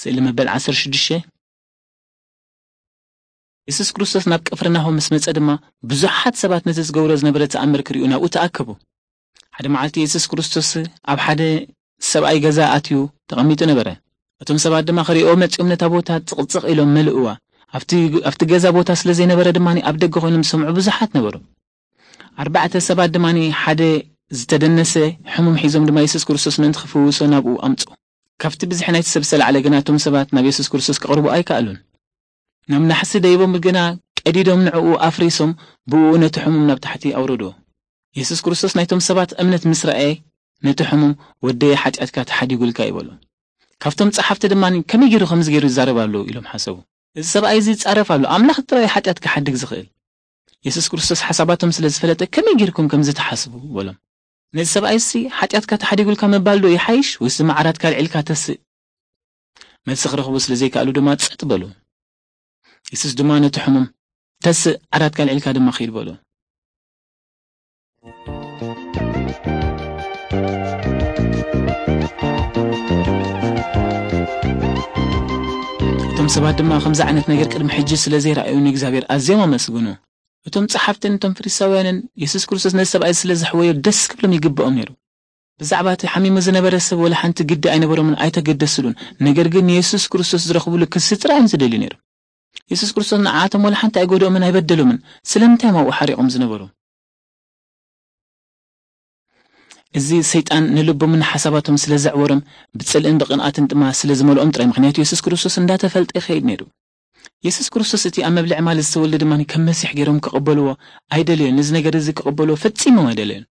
ስእሊ መበል ዓሰርተ ሽዱሽተ። የሱስ ክርስቶስ ናብ ቅፍርናሆም ምስ መጸ ድማ፣ ብዙሓት ሰባት ነቲ ዝገብሮ ዝነበረ ተኣምር ክርእዩ ናብኡ ተኣከቡ። ሓደ መዓልቲ የሱስ ክርስቶስ ኣብ ሓደ ሰብኣይ ገዛ ኣትዩ ተቐሚጡ ነበረ። እቶም ሰባት ድማ ክርእይዎ መጺኦም ነታ ቦታ ጽቕጽቕ ኢሎም መልእዋ። ኣብቲ፣ ኣብቲ ገዛ ቦታ ስለ ዘይነበረ ድማ ኣብ ደገ ኮይኖም ዝሰምዑ ብዙሓት ነበሩ። ኣርባዕተ ሰባት ድማ ሓደ ዝተደነሰ ሕሙም ሒዞም ድማ የሱስ ክርስቶስ ምእንቲ ክፍውሶ ናብኡ ኣምጹ። ካብቲ ብዝሒ ናይቲ ሰብ ዝተላዕለ ግና እቶም ሰባት ናብ የሱስ ክርስቶስ ክቕርቡ ኣይከኣሉን። ናብ ናሕሲ ደይቦም ግና ቀዲዶም ንዕኡ ኣፍሪሶም ብኡ ነቲ ሕሙም ናብ ታሕቲ ኣውረዶ። የሱስ ክርስቶስ ናይቶም ሰባት እምነት ምስ ረኣየ ነቲ ሕሙም "ወደየ ሓጢኣትካ ተሓዲጉልካ" ይበሎ። ካብቶም ጸሓፍቲ ድማ "ከመይ ገይሩ ከምዚ ገይሩ ይዛረብ ኣሎ?" ኢሎም ሓሰቡ። "እዚ ሰብኣይ እዚ ይጻረፍ ኣሎ፣ ኣምላኽ ጥራይ ሓጢኣት ክሓድግ ዝኽእል።" የሱስ ክርስቶስ ሓሳባቶም ስለ ዝፈለጠ "ከመይ ጌርኩም ከምዚ ትሓስቡ?" በሎም። "ነዚ ሰብኣይሲ ሓጢኣትካ ተሓዲጉልካ ምባል ዶ ይሓይሽ ወይስ ድማ ዓራትካ ኣልዒልካ ተስእ?" መልሲ ክረኽቡ ስለ ዘይከኣሉ ድማ ጸጥ በሉ። የሱስ ድማ ነቲ ሕሙም "ተስእ፣ ዓራትካ ኣልዒልካ ድማ ኺድ" በሎ። እቶም ሰባት ድማ ከምዚ ዓይነት ነገር ቅድሚ ሕጂ ስለ ዘይረኣዩ ንእግዚኣብሔር ኣዝዮም ኣመስግኑ። እቶም ጸሓፍትን እቶም ፈሪሳውያንን የሱስ ክርስቶስ ነዚ ሰብኣይ ስለ ዘሕወዮ ደስ ክብሎም ይግብኦም ነይሩ። ብዛዕባ እቲ ሓሚሙ ዝነበረ ሰብ ወላ ሓንቲ ግዲ ኣይነበሮምን፣ ኣይተገደስሉን። ነገር ግን ንየሱስ ክርስቶስ ዝረኽብሉ ክሲ ጥራይ እዮም ዝደልዩ ነይሮም። የሱስ ክርስቶስ ንዓኣቶም ወላ ሓንቲ ኣይጎድኦምን ኣይበደሎምን። ስለምንታይ እዮም ኣብኡ ሓሪቖም ዝነበሩ? እዚ ሰይጣን ንልቦምን ሓሳባቶም ስለ ዘዕወሮም፣ ብጽልእን ብቕንኣትን ድማ ስለ ዝመልኦም ጥራይ፣ ምኽንያቱ የሱስ ክርስቶስ እንዳተፈልጠ ይኸይድ ነይሩ። የሱስ ክርስቶስ እቲ ኣብ መብልዒ ማለት ዝተወልደ ድማ ከም መሲሕ ገይሮም ክቕበልዎ ኣይደለዩን። ነዚ ነገር እዚ ክቕበልዎ ፈጺሞም ኣይደለዩን።